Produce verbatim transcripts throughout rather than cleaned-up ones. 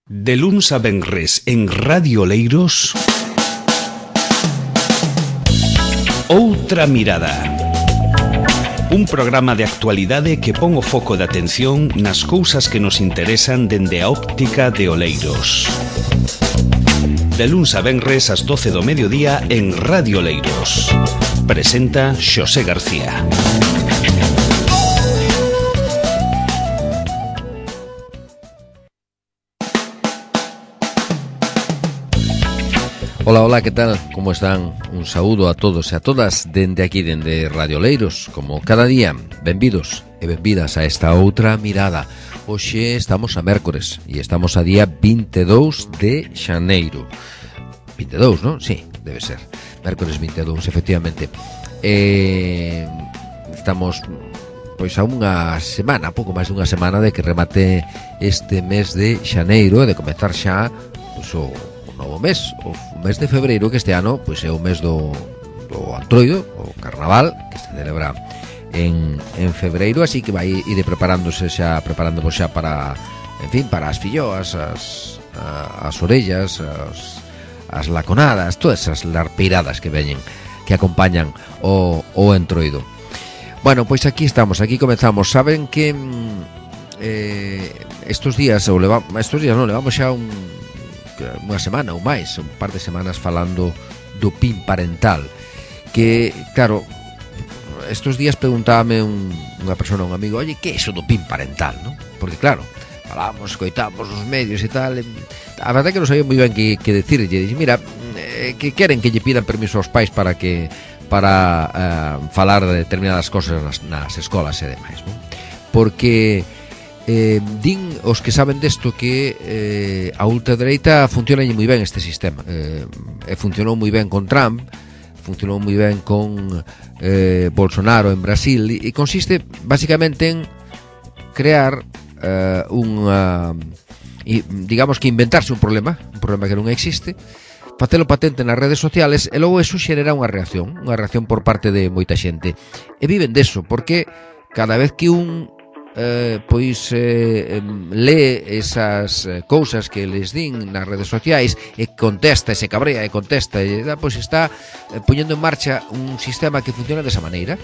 De luns a venres en Radio Oleiros, Outra Mirada. Un programa de actualidade que pon o foco de atención nas cousas que nos interesan dende a óptica de Oleiros. De luns a venres ás doce do mediodía en Radio Oleiros. Presenta Xosé García. Hola, hola, ¿qué tal? ¿Cómo están? Un saúdo a todos e a todas dende aquí, dende Radio Oleiros. Como cada día, benvidos e benvidas a esta outra mirada. Hoxe estamos a mércores e estamos a día vinte e dous de xaneiro. vinte e dous, non? Sí, debe ser. Mércores vinte e dous, efectivamente. Eh, estamos pois a unha semana, pouco máis dunha semana de que remate este mes de xaneiro e de comezar xa pois, o novo mes, o mes de febreiro, que este ano pois é o mes do, do Antroido, o Carnaval, que se celebra en, en febreiro, así que vai ir preparándose xa, preparándonos xa para, en fin, para as filloas, as, as orellas, as, as laconadas, todas esas larpeiradas que veñen, que acompañan o, o Entroido. Bueno, pois aquí estamos, aquí comenzamos. Saben que eh, estos días, ou levamos, estos días non, levamos xa un unha semana ou máis, un par de semanas falando do P I N parental, que, claro, estos días preguntábame un, unha persona, un amigo, oye, que é iso do P I N parental, non? Porque, claro, falamos, coitamos nos medios e tal, e, a verdade é que non sabía moi ben que, que decir, e dixen, mira, eh, que queren que lle pidan permiso aos pais para que para eh, falar de determinadas cosas nas, nas escolas e demais, non? Porque Eh, din os que saben desto que eh, a ultradereita funciona moi ben este sistema, eh, e funcionou moi ben con Trump, funcionou moi ben con eh, Bolsonaro en Brasil, e, e consiste basicamente en crear eh, unha e, digamos que inventarse un problema, un problema que non existe, facelo patente nas redes sociales e logo eso xera unha reacción, unha reacción por parte de moita xente, e viven deso, porque cada vez que un Eh, pois eh, lee esas eh, cousas que les din nas redes sociais e contesta, e se cabrea e contesta e da, pois está eh, poñendo en marcha un sistema que funciona desa maneira.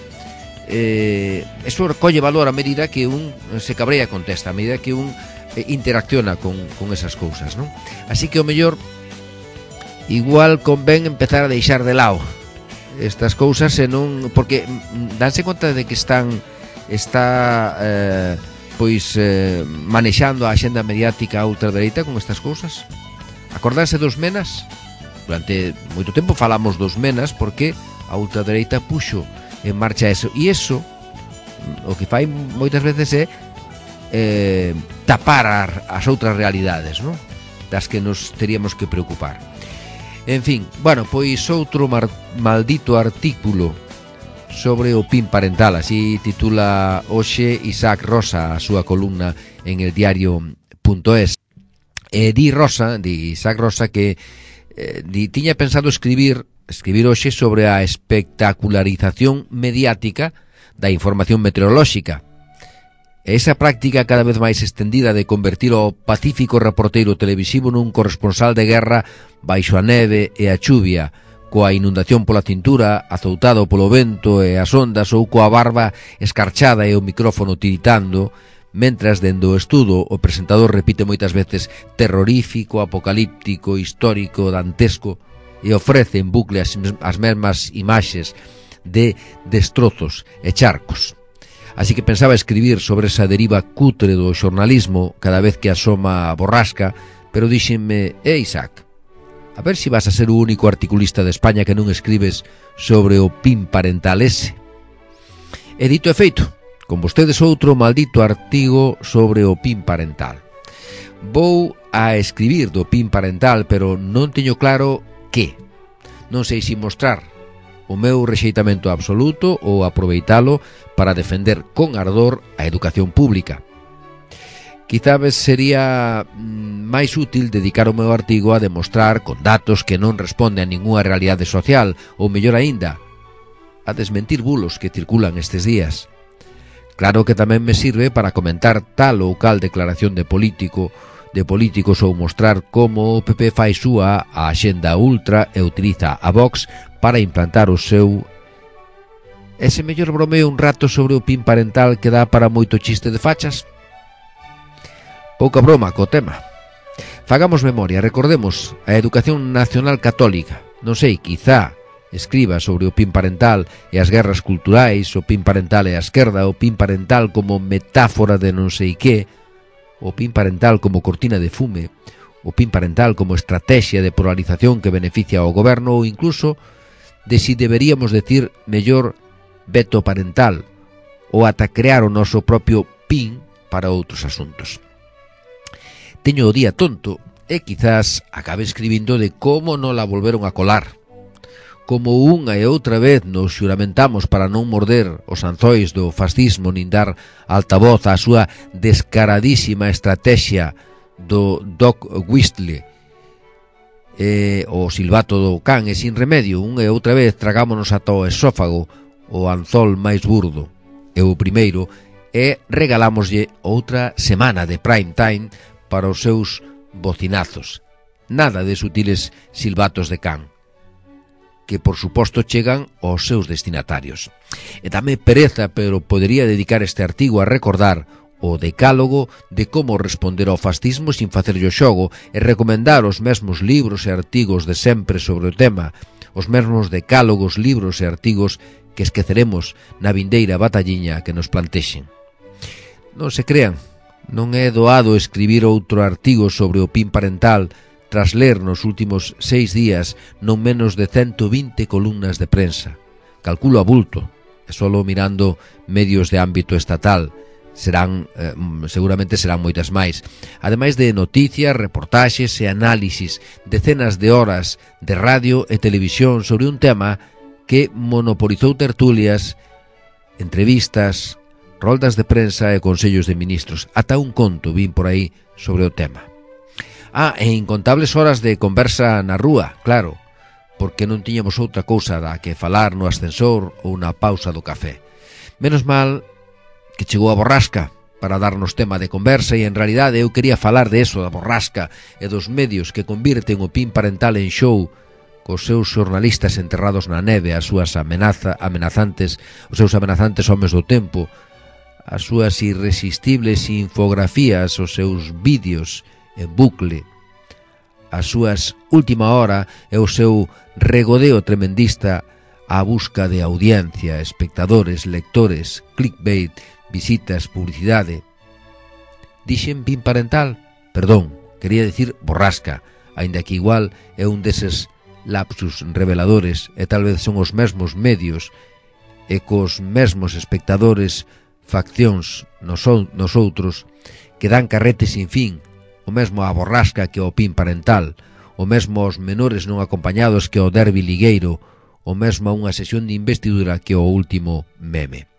Eh, eso recolle valor a medida que un se cabrea e contesta, a medida que un eh, interacciona con, con esas cousas, non? Así que o mellor igual convén empezar a deixar de lado estas cousas e non, porque danse conta de que están está eh, pois eh, manexando a axenda mediática a ultradereita con estas cousas. Acordarse dos menas? Durante moito tempo falamos dos menas porque a ultradereita puxo en marcha eso, e eso o que fai moitas veces é eh, tapar as outras realidades, non? Das que nos teríamos que preocupar. En fin, bueno, pois outro mar, maldito artículo sobre o P I N parental, así titula hoxe Isaac Rosa a súa columna en el diario punto es. E di Rosa, di Isaac Rosa que eh, di, tiña pensado escribir escribir hoxe sobre a espectacularización mediática da información meteorolóxica. E esa práctica cada vez máis extendida de convertir o pacífico reporteiro televisivo nun corresponsal de guerra baixo a neve e a chuvia, coa inundación pola cintura, azoutado polo vento e as ondas ou coa barba escarchada e o micrófono tiritando, mentras dende o estudo o presentador repite moitas veces terrorífico, apocalíptico, histórico, dantesco e ofrece en bucle as, as mesmas imaxes de destrozos e charcos. Así que pensaba escribir sobre esa deriva cutre do xornalismo cada vez que asoma a borrasca, pero díxenme, eh Isaac, a ver se si vas a ser o único articulista de España que non escribes sobre o P I N parental ese. E dito e feito, con vostedes outro maldito artigo sobre o P I N parental. Vou a escribir do P I N parental, pero non teño claro que. Non sei se mostrar o meu rexeitamento absoluto ou aproveitalo para defender con ardor a educación pública. Quizás sería máis útil dedicar o meu artigo a demostrar con datos que non responde a ningunha realidade social, ou mellor aínda, a desmentir bulos que circulan estes días. Claro que tamén me sirve para comentar tal ou cal declaración de político de políticos ou mostrar como o P P fai súa a axenda ultra e utiliza a Vox para implantar o seu. Ese mellor bromeo un rato sobre o pin parental que dá para moito chiste de fachas? Pouca broma co tema. Fagamos memoria, recordemos a educación nacional católica. Non sei, quizá escriba sobre o pin parental e as guerras culturais, o pin parental e a esquerda, o pin parental como metáfora de non sei que, o pin parental como cortina de fume, o pin parental como estrategia de polarización que beneficia ao goberno ou incluso de si deberíamos decir mellor veto parental ou ata crear o noso propio pin para outros asuntos. Teño o día tonto e quizás acabe escribindo de como non la volveron a colar. Como unha e outra vez nos xuramentamos para non morder os anzois do fascismo nin dar altavoz á súa descaradísima estrategia do dog whistle e o silbato do can e sin remedio, unha e outra vez tragámonos ata o esófago o anzol máis burdo e o primeiro e regalámoslle outra semana de prime time para os seus bocinazos. Nada de sutiles silbatos de can, que por suposto chegan aos seus destinatarios. E dame pereza, pero podería dedicar este artigo a recordar o decálogo de como responder ao fascismo sin facerlle o xogo e recomendar os mesmos libros e artigos de sempre sobre o tema, os mesmos decálogos, libros e artigos que esqueceremos na vindeira batalliña que nos plantexen. Non se crean, non é doado escribir outro artigo sobre o pin parental tras ler nos últimos seis días non menos de ciento vinte columnas de prensa. Calculo a bulto, e solo mirando medios de ámbito estatal, serán eh, seguramente serán moitas máis. Ademais de noticias, reportaxes e análisis, decenas de horas de radio e televisión sobre un tema que monopolizou tertulias, entrevistas, roldas de prensa e consellos de ministros. Ata un conto vin por aí sobre o tema. Ah, e incontables horas de conversa na rúa, claro, porque non tiñamos outra cousa da que falar no ascensor ou na pausa do café. Menos mal que chegou a borrasca para darnos tema de conversa e en realidade eu quería falar de eso, da borrasca e dos medios que convirten o pin parental en show cos seus xornalistas enterrados na neve, as súas amenaza, amenazantes, os seus amenazantes homes do tempo, as súas irresistibles infografías, os seus vídeos en bucle, as súas última hora e o seu regodeo tremendista á busca de audiencia, espectadores, lectores, clickbait, visitas, publicidade. Dixen pin parental? Perdón, quería decir borrasca, aínda que igual é un deses lapsus reveladores e tal vez son os mesmos medios e cos mesmos espectadores faccións nos, nos outros que dan carrete sin fin, o mesmo a borrasca que o pin parental, o mesmo aos menores non acompañados que o derbi ligueiro, o mesmo a unha sesión de investidura que o último meme.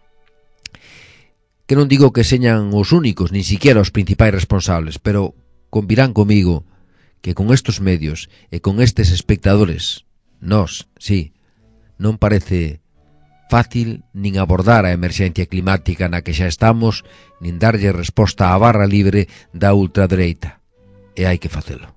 Que non digo que señan os únicos, nin siquiera os principais responsables, pero convirán comigo que con estes medios e con estes espectadores, nós, sí, non parece fácil nin abordar a emerxencia climática na que xa estamos, nin darlle resposta á barra libre da ultradereita. E hai que facelo.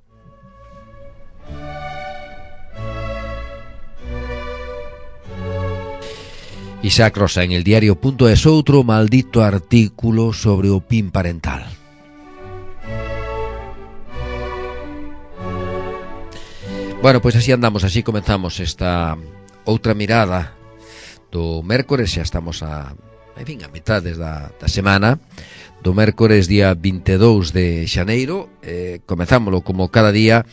Isaac Rosa en el diario.es outro maldito artículo sobre o pin parental. Bueno, pois así andamos, así comenzamos esta outra mirada do mércores, xa estamos a, en fin, a mitades da, da semana do mércores día vinte e dous de xaneiro. Eh, comenzámoslo como cada día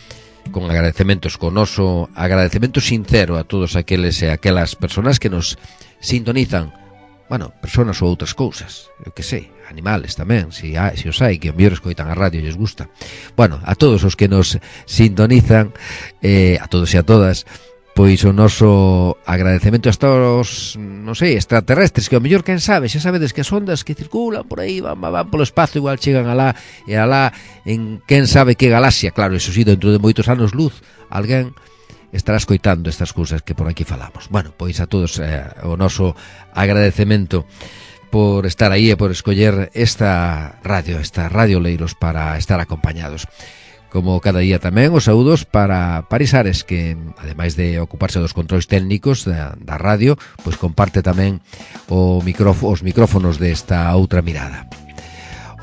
con agradecementos, con noso agradecemento sincero a todos aqueles e aquelas persoas que nos sintonizan, bueno, persoas ou outras cousas, eu que sei, animales tamén, si, hai, si os hai, que o mellor escoitan a radio e lles gusta. Bueno, a todos os que nos sintonizan, eh, a todos e a todas, pois o noso agradecemento hasta os, non sei, extraterrestres, que o mellor, quen sabe, xa sabedes que as ondas que circulan por aí van, van polo espazo, igual chegan alá e alá en quen sabe que galaxia. Claro, eso sí, dentro de moitos anos luz alguén estará escoitando estas cousas que por aquí falamos. Bueno, pois a todos eh, o noso agradecemento. por estar aí e por escoller esta radio, esta Radio Leiros para estar acompañados. Como cada día tamén, os saúdos para Paris Ares, que ademais de ocuparse dos controis técnicos da, da radio, pois comparte tamén o micrófono, os micrófonos desta outra mirada.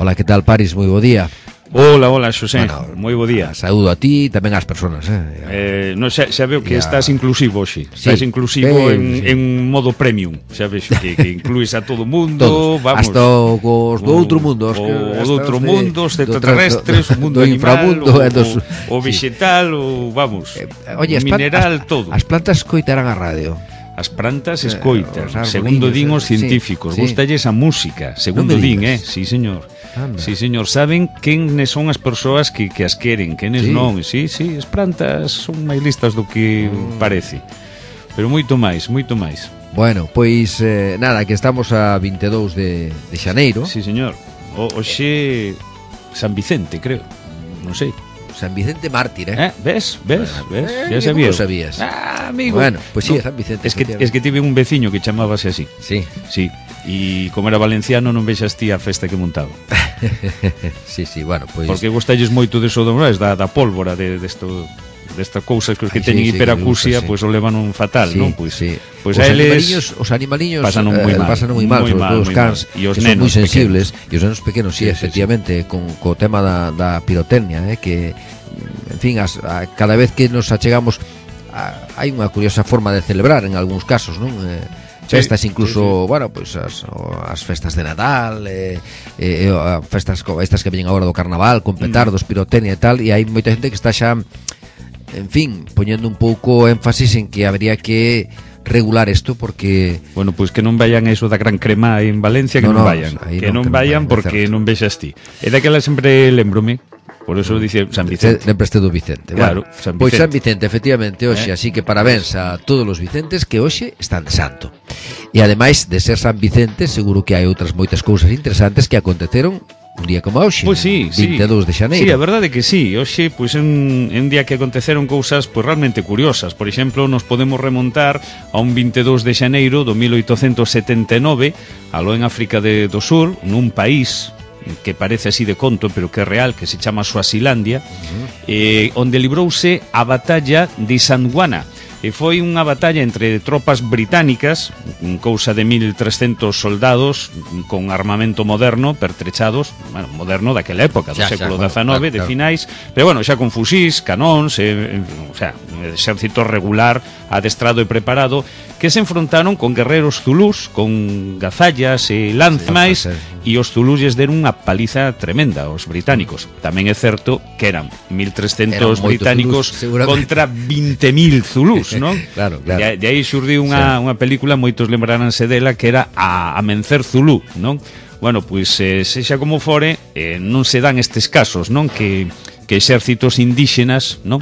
Hola, que tal, Paris? Moi bo día. Hola, hola, Xosé, bueno, moi bo día. Saúdo a ti e tamén ás persoas, eh? eh no, xa, xa veo que ya... estás inclusivo hoxe. Sí. Estás inclusivo eh, en, sí. en modo premium. Xa vexo que, que incluís a todo mundo. Todos. Vamos, hasta os do outro mundo. Os do outro mundo, os extraterrestres, o mundo do animal, inframundo, o, dos... o, o vegetal, o, vamos, eh, oye, o mineral, as, todo. As plantas coitarán a radio. As plantas escoitan, eh, segundo din os científicos, sí, gustalles a música, segundo no din, eh, sí, señor. Anda. Sí, señor, saben quen son as persoas que, que as queren, quenes sí. non. Sí, sí, as plantas son máis listas do que mm. parece. Pero moito máis, moito máis. Bueno, pois eh, nada, que estamos a vinte e dous de, de xaneiro. Sí, señor. O, oxe San Vicente, creo. Non sei. San Vicente Mártir, eh? eh ves, ves, bueno, ves, eh, ya sabías. sabías. Ah, amigo. Bueno, pues sí, no, San Vicente. Es que, es que tive un veciño que chamábase así. Sí. Sí. E como era valenciano non vexas ti a festa que montaba. Sí, sí, bueno, pois... Porque gostalles moito de sodomais, da, da pólvora de, de esto... destas cousas que os que Ay, teñen sí, sí, hiperacusia, sí. pois o levan un fatal, sí, non? Pois sí. pois os a eles animaliños, os animaliños pasan moi mal, eh, pasan moi mal, moi sobre mal, todo os cans, e os que son nenos moi sensibles, pequenos. e os nenos pequenos, sí, sí, efectivamente, sí, sí. con co tema da, da pirotecnia, eh, que en fin, as, a, cada vez que nos achegamos a, hai unha curiosa forma de celebrar en algúns casos, non? Eh, festas incluso, sí, sí. bueno, pois pues as, as festas de Nadal, eh, eh, festas como estas que veñen agora do Carnaval, con petardos, mm. pirotecnia e tal, e hai moita xente que está xa, en fin, poñendo un pouco énfasis en que habría que regular isto porque... Bueno, pois pues que non vayan a iso da Gran Crema en Valencia, que no, non no, vayan, que no, non que vayan non porque certo. Non vexas ti. E daquela sempre lembrome. Por eso dice San Vicente. Sempre este do Vicente. Claro, bueno, San Vicente. Pois San Vicente, efectivamente, hoxe, eh? Así que parabéns a todos os Vicentes que hoxe están de santo. E ademais de ser San Vicente, seguro que hai outras moitas cousas interesantes que aconteceron un día como hoxe, pois sí, vinte e dous sí. de xaneiro. Sí, a verdade que sí. Hoxe, pois é un, un día que aconteceron cousas pois realmente curiosas. Por exemplo, nos podemos remontar a un vinte e dous de xaneiro do mil oitocentos setenta e nove, aló en África de, do Sur, nun país que parece así de conto, pero que é real, que se chama Suazilandia, uh-huh. eh, onde librouse a batalla de Sandwana. E foi unha batalla entre tropas británicas, cousa de mil trescentos soldados con armamento moderno, pertrechados, bueno, moderno daquela época, do xa, século xa, dezanove, claro, de claro. finais, pero bueno, xa con fusís, canóns, eh, o sea, exército regular, adestrado e preparado, que se enfrontaron con guerreros zulús, con gazallas e lanzmais, e os zulús lles deron unha paliza tremenda aos británicos. Tamén é certo que eran mil trescentos británicos zulús, contra vinte mil zulús, non? Claro, claro. De, de aí xurdiu unha, sí. unha película, moitos lembraránse dela, que era a Amencer Zulú, non? Bueno, pois, eh, sexa como fore, eh, non se dan estes casos, non? Que, que exércitos indígenas, non?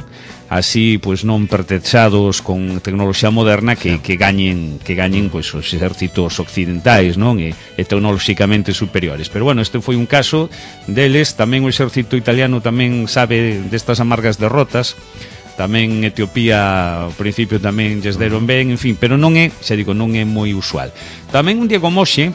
Así, pois, non pertrechados con tecnoloxía moderna que, que gañen, que gañen, pois, os exércitos occidentais, non? E, e tecnolóxicamente superiores. Pero, bueno, este foi un caso deles. Tamén o exército italiano tamén sabe destas amargas derrotas. Tamén Etiopía ao principio tamén lles deron ben, en fin, pero non é, xa digo, non é moi usual. Tamén un día como hoxe,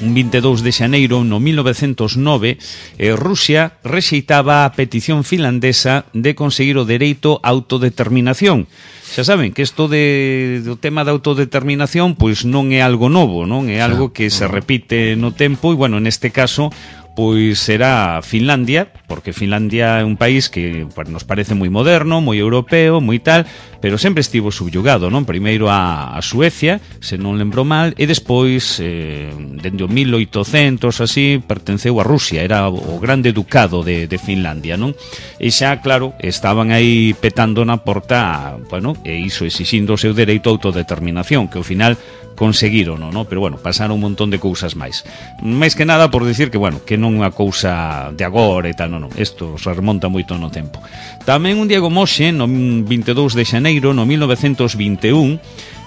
un vinte e dous de xaneiro, no mil novecentos nove, eh, Rusia rexeitaba a petición finlandesa de conseguir o dereito á autodeterminación. Xa saben que isto de, do tema da autodeterminación pois non é algo novo, non é algo que se repite no tempo e, bueno, neste caso pois será Finlandia, porque Finlandia é un país que pues, nos parece moi moderno, moi europeo, moi tal, pero sempre estivo subyugado, non? Primeiro a, a Suecia, se non lembro mal, e despois, eh, dende o mil oitocentos, así, pertenceu a Rusia, era o grande ducado de, de Finlandia, non? E xa, claro, estaban aí petando na porta, bueno, e iso exixindo o seu dereito a autodeterminación, que ao final conseguiron, non? Pero bueno, pasaron un montón de cousas máis. Máis que nada por decir que, bueno, que non é unha cousa de agora e tal, non, non. Isto se remonta moito no tempo. Tamén un día como hoxe, no vinte e dous de xaneiro, no mil novecentos vinte e un,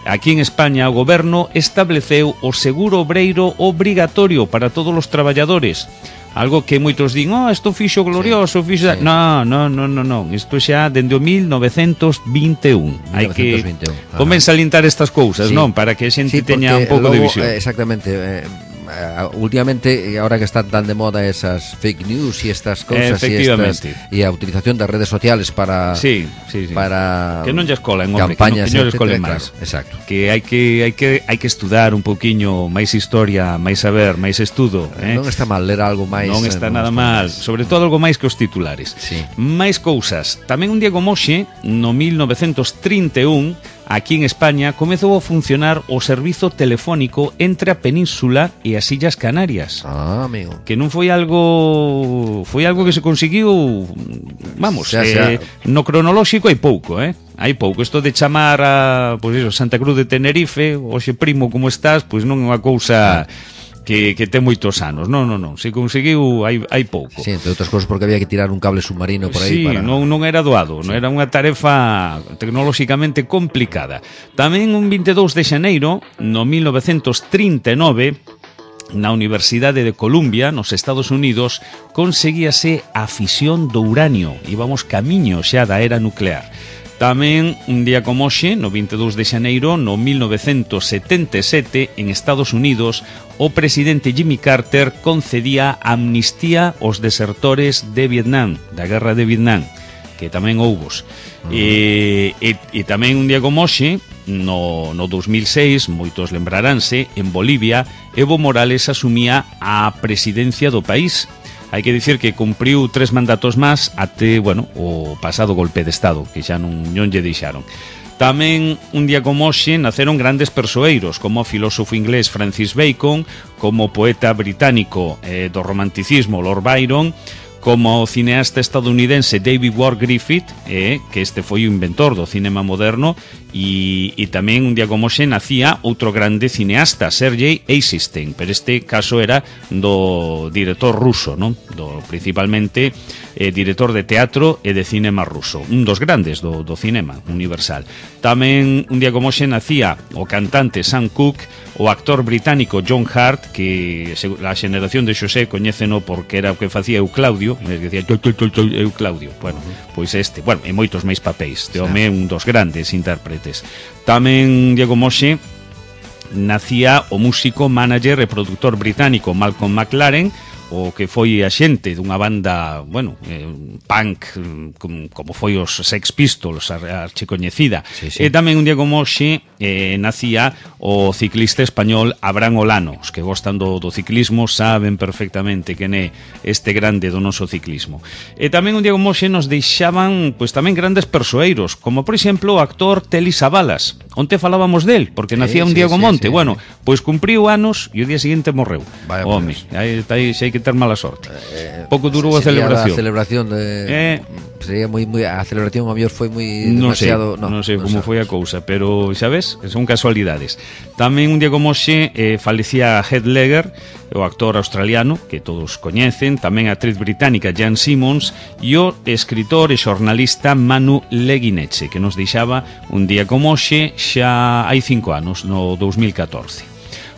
aquí en España o goberno estableceu o seguro obreiro obrigatorio para todos os traballadores. Algo que moitos din, oh, isto fixo glorioso, sí, fixo... Sí. No, no, no, no, no. Isto xa dende o mil novecentos vinte e un. Hai que comenzar a alintar estas cousas, sí. Non? Para que a xente sí, teña un pouco logo, de visión. Eh, exactamente. Eh, últimamente, ahora que están tan de moda esas fake news y estas cosas y, estas, y a utilización de redes sociales para sí, sí, sí. para que non lles colen, hombre, campañas, que non lles colen máis. Claro, exacto. Que hai que hai que hai que estudar un pouquiño máis historia, máis saber, máis estudo, eh? Non está mal ler algo máis. Non está non nada está mal, máis. sobre todo algo máis que os titulares. Sí. Máis cousas. Tamén un día como hoxe, no mil novecentos trinta e un, aquí en España comezou a funcionar o servizo telefónico entre a península e as Illas Canarias. Ah, amigo. Que non foi algo foi algo que se conseguiu, vamos, xa, xa. Eh, no cronolóxico hai pouco, eh? Hai pouco. Isto de chamar a, pois iso, Santa Cruz de Tenerife, hoxe primo, como estás, pois non é unha cousa que, que ten moitos anos. Non, non, non. Se conseguiu hai, hai pouco. Sí, entre outras cousas porque había que tirar un cable submarino por aí. Sí, para... non, non era doado, sí. Non era unha tarefa tecnolóxicamente complicada. Tamén un vinte e dous de xaneiro, no mil novecentos trinta e nove, na Universidade de Columbia, nos Estados Unidos, conseguíase a fisión do uranio. Íbamos camiño xa da era nuclear. Tamén un día como hoxe, no vinte e dous de xaneiro, no mil novecentos setenta e sete, en Estados Unidos, o presidente Jimmy Carter concedía amnistía aos desertores de Vietnam, da guerra de Vietnam, que tamén houbos. Uh-huh. E, e, e tamén un día como hoxe, no, no dos mil seis, moitos lembraránse, en Bolivia, Evo Morales asumía a presidencia do país. Hai que dicir que cumpriu tres mandatos máis até, bueno, o pasado golpe de Estado, que xa non, non lle deixaron. Tamén, un día como hoxe, naceron grandes persoeiros, como o filósofo inglés Francis Bacon, como o poeta británico eh, do romanticismo Lord Byron, como o cineasta estadounidense David Ward Griffith, eh, que este foi o inventor do cinema moderno, e, e tamén un día como hoxe nacía outro grande cineasta, Sergei Eisenstein, pero este caso era do director ruso, non? Do, principalmente eh, director de teatro e de cinema ruso, un dos grandes do, do cinema universal. Tamén un día como hoxe nacía o cantante Sam Cooke, o actor británico John Hart, que a xeneración de Xosé coñéceno porque era o que facía Euclaudio, que decía Euclaudio, bueno, pois este, bueno, e moitos máis papéis, este home é un dos grandes intérpretes. Tamén Diego Moxe nacía o músico, manager e produtor británico Malcolm McLaren, o que foi a xente dunha banda, bueno, eh, punk, como, como foi os Sex Pistols, a archicoñecida. Sí, sí. E tamén un día como hoxe eh, nacía o ciclista español Abraham Olano. Os que gostan do, do ciclismo saben perfectamente quen é este grande do noso ciclismo. E tamén un día como hoxe nos deixaban, pois tamén grandes persoeiros, como por exemplo o actor Telly Savalas. Onte falábamos del, porque nacía sí, un día sí, como onte. Sí, sí. Bueno, pois cumpriu anos e o día seguinte morreu. Vaya, home, aí, aí xa hai que ter mala sorte. Eh, Pouco durou a celebración. A celebración de eh, sería moi moi a celebración a mellor foi moi non demasiado, sei, no, non sei como foi a cousa, pero xa ves, son casualidades. Tamén un día como hoxe eh, falecía Heath Ledger, o actor australiano que todos coñecen, tamén a actriz británica Jan Simmons e o escritor e xornalista Manu Leguineche, que nos deixaba un día como hoxe xa hai cinco anos, no dos mil catorce.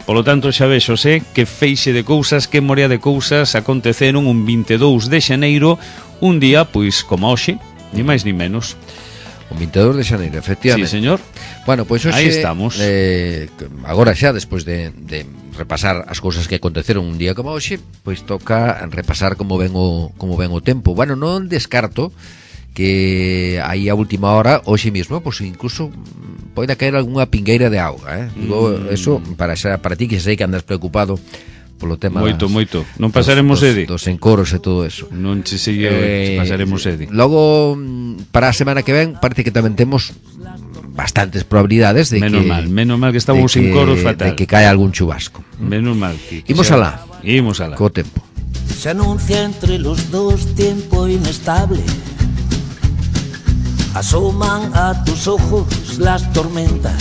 Polo tanto, xa vexo, sé que feixe de cousas, que morea de cousas aconteceron un vinte e dous de xaneiro, un día, pois, como hoxe, ni máis ni menos. Un vinte e dous de xaneiro, efectivamente. Sí, señor. Bueno, pois hoxe, aí estamos. Eh, agora xa, despois de, de repasar as cousas que aconteceron un día como hoxe, pois toca repasar como ven o, como ven o tempo. Bueno, non descarto que aí a última hora, hoxe mesmo, pois incluso poida caer algunha pingueira de auga, eh? Digo, mm. eso para xa, para ti que sei que andas preocupado polo tema moito, das, moito. Non pasaremos dos, sede dos encoros e todo eso. Non che sigue, eh, pasaremos sede. Logo para a semana que ven parece que tamén temos bastantes probabilidades de menos que mal, menos mal que estamos en coros fatal. De que cae algún chubasco. Menos mal que, que Imos alá. Imos alá. Co tempo. Se anuncia entre los dos tiempo inestable. Asoman a tus ojos las tormentas.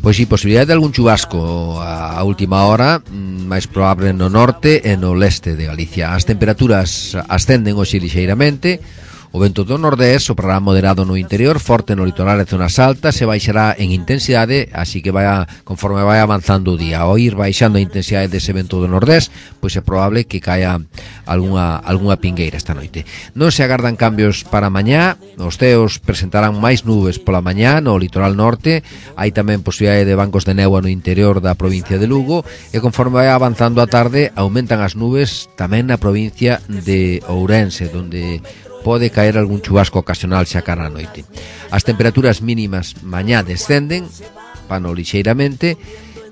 Pois si, posibilidade de algún chubasco a última hora, máis probable no norte e no leste de Galicia. As temperaturas ascenden hoxe lixeiramente, O vento do nordés soprará moderado no interior, forte no litoral e zonas altas, e baixará en intensidade, así que vai a, conforme vai avanzando o día. Ao ir baixando a intensidade dese vento do nordés, pois é probable que caia algunha, algunha pingueira esta noite. Non se agardan cambios para mañá, os ceos presentarán máis nubes pola mañá no litoral norte, hai tamén posibilidade de bancos de néboa no interior da provincia de Lugo, e conforme vai avanzando a tarde aumentan as nubes tamén na provincia de Ourense, donde pode caer algún chubasco ocasional xa cara a noite. As temperaturas mínimas mañá descenden, pano lixeiramente,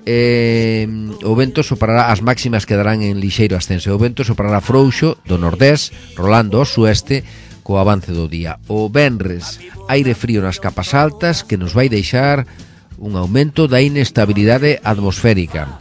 e o vento soprará, as máximas quedarán en lixeiro ascenso. O vento soprará frouxo do nordés, rolando ao sueste co avance do día. O venres, aire frío nas capas altas que nos vai deixar un aumento da inestabilidade atmosférica.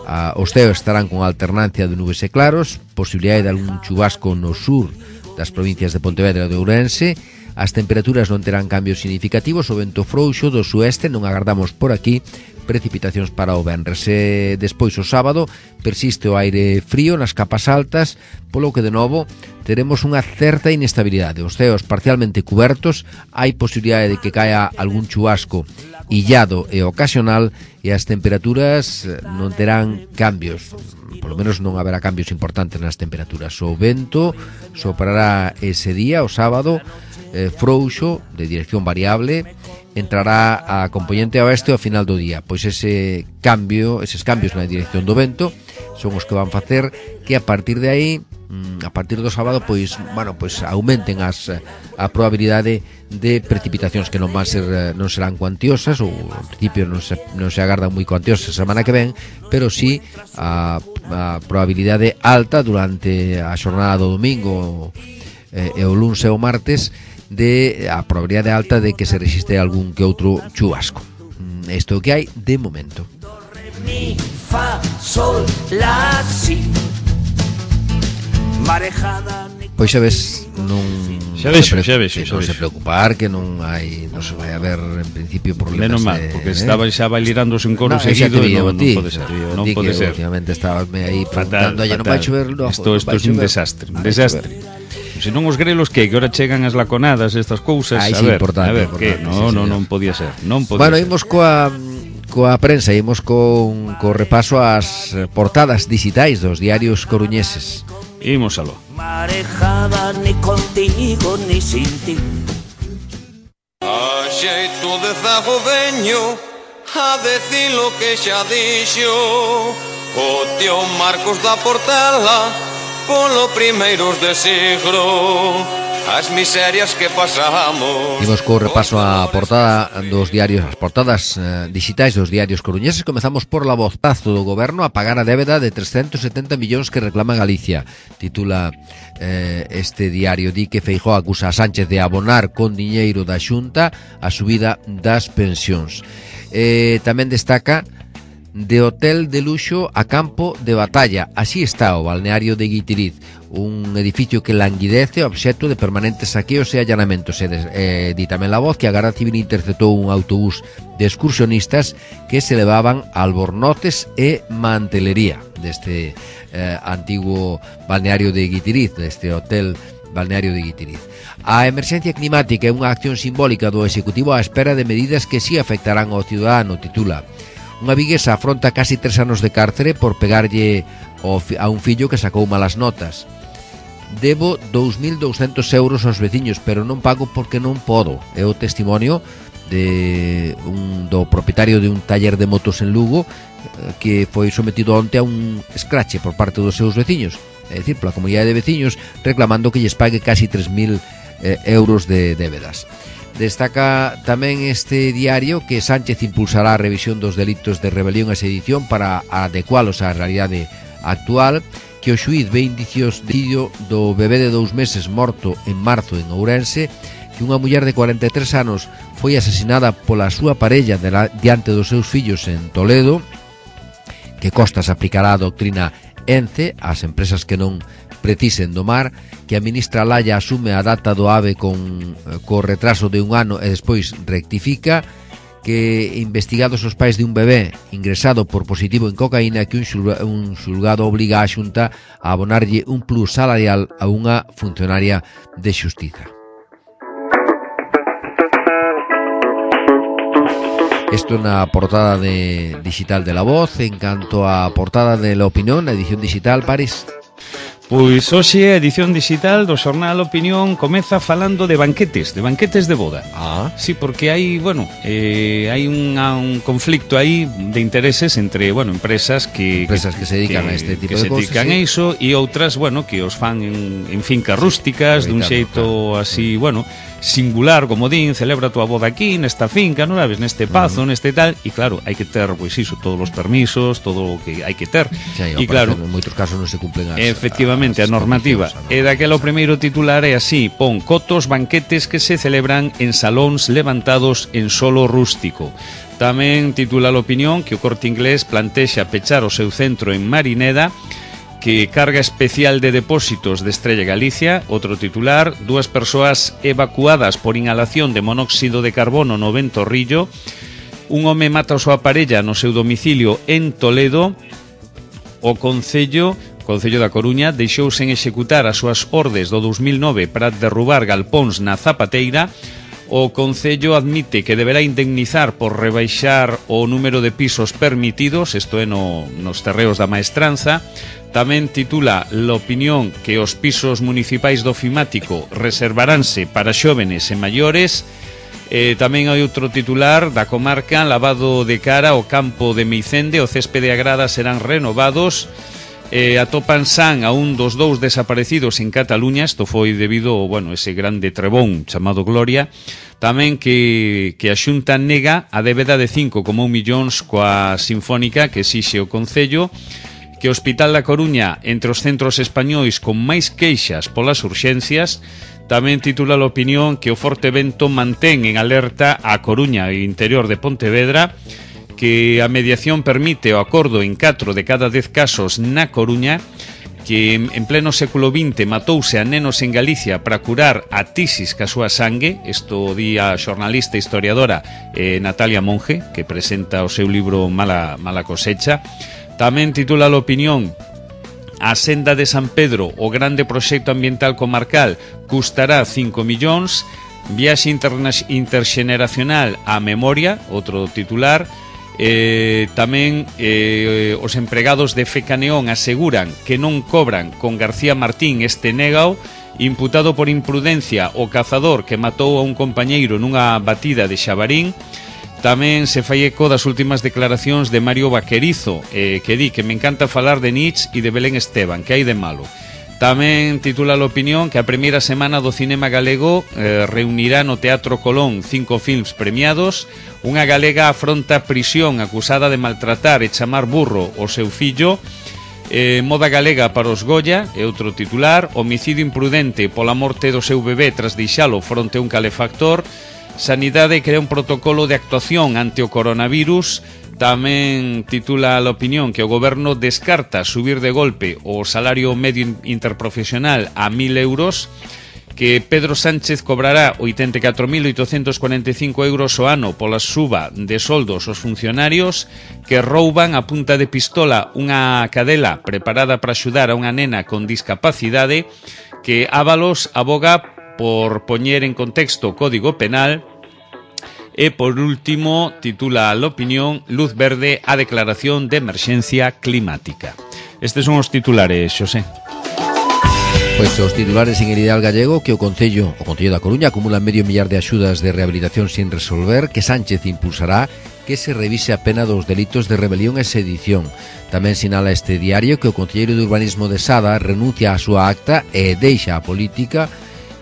Ah, os ceos estarán con alternancia de nubes e claros, posibilidade de algún chubasco no sur das provincias de Pontevedra e de Ourense. As temperaturas non terán cambios significativos, o vento frouxo do sueste, non agardamos por aquí precipitacións para o venres. E despois o sábado persiste o aire frío nas capas altas, polo que de novo teremos unha certa inestabilidade. Os ceos parcialmente cubertos, hai posibilidade de que caia algún chubasco illado e ocasional, e as temperaturas non terán cambios, polo menos non haberá cambios importantes nas temperaturas. O vento soprará ese día, o sábado, eh, frouxo, de dirección variable, entrará a componente oeste ao final do día. Pois ese cambio, eses cambios na dirección do vento son os que van facer que a partir de aí, a partir do sábado, pois, bueno, pois aumenten as a probabilidade de precipitacións que non van ser, non serán cuantiosas, ou en principio non se, non se agardan moi cuantiosas a semana que ven, pero sí a, a probabilidade alta durante a xornada do domingo e, e o luns e o martes, de a probabilidade alta de que se resiste algún que outro chubasco. Isto é o que hai de momento. Mi, fa, sol, la, si. Marejada. Pois xa ves, non xa vexo, xa vexo, non se preocupar que non hai, non se vai haber en principio problemas. Menos mal, de, porque eh? estaba xa bailirándose un coro no, seguido e non, non pode ser, non pode ser. Últimamente estabas aí preguntando, "Oye, non vai chover logo?" Isto isto é un desastre, un desastre. Se non os grelos que que ahora chegan as laconadas, estas cousas, Ay, a sí, ver, importante, a ver, importante, que no, sí, no, señor. non podía ser, non podía bueno, ser. imos coa coa prensa, imos con co repaso ás portadas digitais dos diarios coruñeses. Imos aló. Marejada ni contigo ni sin ti. A xeito de zagodeño, a decir lo que xa dixo o tío Marcos da Portela polo primeiros de siglo. As miserias que pasamos. Imos co repaso a portada dos diarios, as portadas eh, digitais dos diarios coruñeses. Comezamos por La Vozazo do goberno a pagar a débeda de trescentos setenta millóns que reclama Galicia. Titula eh, este diario, di que Feijóo acusa a Sánchez de abonar con diñeiro da Xunta a subida das pensións. Eh, tamén destaca de hotel de luxo a campo de batalla. Así está o balneario de Guitiriz, un edificio que languidece, obxecto de permanentes saqueos e allanamentos. E eh, di tamén La Voz que a Garda Civil interceptou un autobús de excursionistas que se levaban albornoces e mantelería deste eh, antiguo balneario de Guitiriz, deste hotel balneario de Guitiriz. A emerxencia climática é unha acción simbólica do Executivo á espera de medidas que si afectarán ao ciudadano, titula. Unha viguesa afronta casi tres anos de cárcere por pegarlle a un fillo que sacou malas notas. Debo dous mil douscentos euros aos veciños, pero non pago porque non podo. É o testimonio de un, do propietario de un taller de motos en Lugo, que foi sometido onte a un escrache por parte dos seus veciños, é dicir, pola comunidade de veciños, reclamando que lles pague casi tres mil eh, euros de débedas. Destaca tamén este diario que Sánchez impulsará a revisión dos delitos de rebelión e sedición para adecualos á realidade actual, que o xuíz ve indicios de vídeo do bebé de dous meses morto en marzo en Ourense, que unha muller de cuarenta e tres anos foi asesinada pola súa parella diante dos seus fillos en Toledo, que Costas aplicará a doctrina ENCE ás empresas que non precisen do mar, que a ministra Laya asume a data do AVE con co retraso de un ano e despois rectifica, que investigados os pais de un bebé ingresado por positivo en cocaína, que un, xulga, un xulgado obliga a Xunta a abonarlle un plus salarial a unha funcionaria de xustiza. Isto na portada de digital de La Voz. En canto a portada de La Opinión, na edición digital, Paris. Pois hoxe a edición digital do xornal Opinión comeza falando de banquetes, de banquetes de boda. Ah. Sí, porque hai, bueno, eh, hai unha, un conflicto aí de intereses entre, bueno, empresas que empresas que, que se dedican que, a este tipo que de se cosas, dedican sí. a iso, e outras, bueno, que os fan en, en fincas rústicas, dun xeito claro. así, bueno, singular, como din, celebra a tua boda aquí, nesta finca, non sabes, neste pazo, uh-huh. neste tal, e claro, hai que ter, pois iso, todos os permisos, todo o que hai que ter. Sí, e claro, en moitos casos non se cumplen as efectivamente, as, a normativa. A e daquela o primeiro titular é así: pon cotos banquetes que se celebran en salóns levantados en solo rústico. Tamén titula a Opinión que o Corte Inglés plantexa pechar o seu centro en Marineda, que carga especial de depósitos de Estrella Galicia. Outro titular: dúas persoas evacuadas por inhalación de monóxido de carbono no Ventorrillo. Un home mata a súa parella no seu domicilio en Toledo. O Concello Concello da Coruña deixou sen executar as súas ordes do dos mil nove para derrubar galpóns na Zapateira. O Concello admite que deberá indemnizar por rebaixar o número de pisos permitidos, isto é no, nos terreos da Maestranza. Tamén titula La Opinión que os pisos municipais do Ofimático reservaránse para xóvenes e maiores. Eh, tamén hai outro titular da comarca: lavado de cara ao campo de Meicende, o céspede e a grada serán renovados. Eh, atopan san a un dos dous desaparecidos en Cataluña. Isto foi debido, bueno, ese grande trebón chamado Gloria. Tamén que, que a Xunta nega a débeda de cinco coma un millóns coa Sinfónica que exixe o Concello. Que o Hospital da Coruña entre os centros españois con máis queixas polas urxencias. Tamén titula a Opinión que o forte vento mantén en alerta a Coruña e interior de Pontevedra, que a mediación permite o acordo en catro de cada dez casos na Coruña, que en pleno século vinte matouse a nenos en Galicia para curar a tisis ca súa sangue. Isto di a xornalista e historiadora eh, Natalia Monge, que presenta o seu libro Mala, Mala cosecha. Tamén titula a Opinión: a senda de San Pedro, o grande proxecto ambiental comarcal, custará cinco millóns. Viaxe interxeneracional á memoria, outro titular. Eh, tamén eh, os empregados de Fecaneón aseguran que non cobran con García Martín este négao. Imputado por imprudencia o cazador que matou a un compañeiro nunha batida de Xabarín. Tamén se fai eco das últimas declaracións de Mario Vaquerizo, eh, que di que me encanta falar de Nietzsche e de Belén Esteban, que hai de malo. Tamén titula a Opinión que a primeira semana do cinema galego eh, reunirá no Teatro Colón cinco films premiados. Unha galega afronta prisión acusada de maltratar e chamar burro o seu fillo. Eh, moda galega para os Goya é outro titular. Homicidio imprudente pola morte do seu bebé tras deixalo fronte a un calefactor. Sanidade crea un protocolo de actuación ante o coronavirus. Tamén titula a Opinión que o goberno descarta subir de golpe o salario medio interprofesional a mil euros. Que Pedro Sánchez cobrará oitenta e catro mil oitocentos cuarenta e cinco euros ao ano pola suba de soldos aos funcionarios. Que rouban a punta de pistola unha cadela preparada para axudar a unha nena con discapacidade. Que Ábalos aboga por poñer en contexto o Código Penal. E por último titula a Opinión: luz verde á declaración de emerxencia climática. Estes son os titulares, Xosé. Pois os titulares en el Ideal Gallego: que o Concello, o Concello da Coruña acumula medio millar de axudas de rehabilitación sin resolver. Que Sánchez impulsará que se revise a pena dos delitos de rebelión e sedición. Tamén sinala este diario que o Concelleiro de Urbanismo de Sada renuncia á súa acta e deixa a política.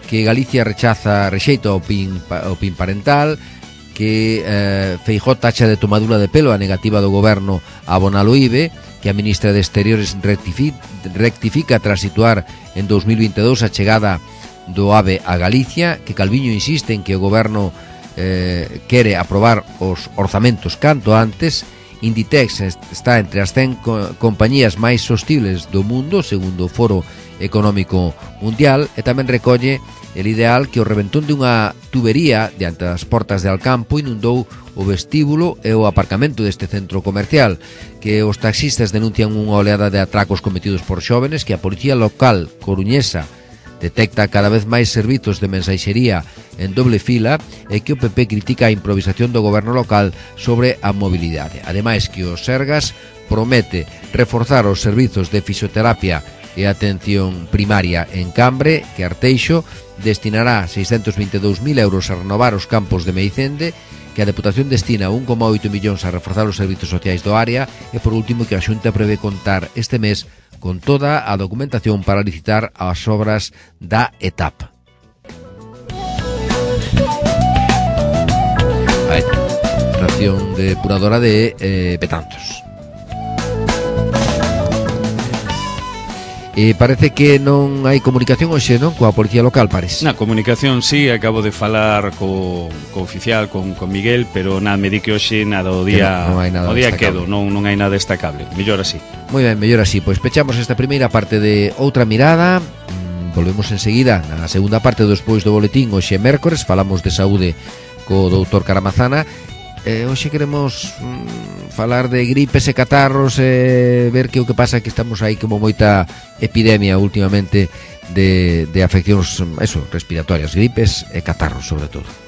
Que Galicia rechaza, rexeita o PIN, o PIN parental. Que eh, Feijóo tacha de tomadura de pelo a negativa do goberno a abonar o I B E. Que a ministra de Exteriores rectifica, rectifica tras situar en dos mil veintidós a chegada do AVE a Galicia. Que Calviño insiste en que o goberno eh, quere aprobar os orzamentos canto antes. Inditex está entre as cen co- compañías máis sostibles do mundo, segundo o Foro Económico Mundial. E tamén recolle el Ideal que o reventón dunha tubería diante das portas de Alcampo inundou o vestíbulo e o aparcamento deste centro comercial. Que os taxistas denuncian unha oleada de atracos cometidos por xóvenes. Que a Policía Local coruñesa detecta cada vez máis servizos de mensaxería en doble fila e que o P P critica a improvisación do goberno local sobre a mobilidade. Ademais que o Sergas promete reforzar os servizos de fisioterapia e atención primaria en Cambre, que Arteixo destinará seiscentos vinte e dous mil euros a renovar os campos de Meicende, que a Deputación destina un coma oito millóns a reforzar os servizos sociais do área e, por último, que a Xunta prevé contar este mes con toda a documentación para licitar as obras da etapa. A estación depuradora de eh, Betanzos. E parece que non hai comunicación hoxe, non? Coa policía local, parece. Na comunicación, sí, acabo de falar co, co oficial, con, con Miguel, pero nada, me di que hoxe nada, o día, non, non hai nada o día destacable. quedo, non, non hai nada destacable. Mellor así. Moi ben, mellor así. Pois pechamos esta primeira parte de Outra Mirada. mm, Volvemos enseguida na segunda parte despois do boletín. Hoxe é mércores, falamos de saúde co doutor Caramazana. Eh, hoxe queremos mm, falar de gripes e catarros, e eh, ver que o que pasa que estamos aí como moita epidemia últimamente de, de afeccións eso, respiratorias, gripes e catarros sobre todo.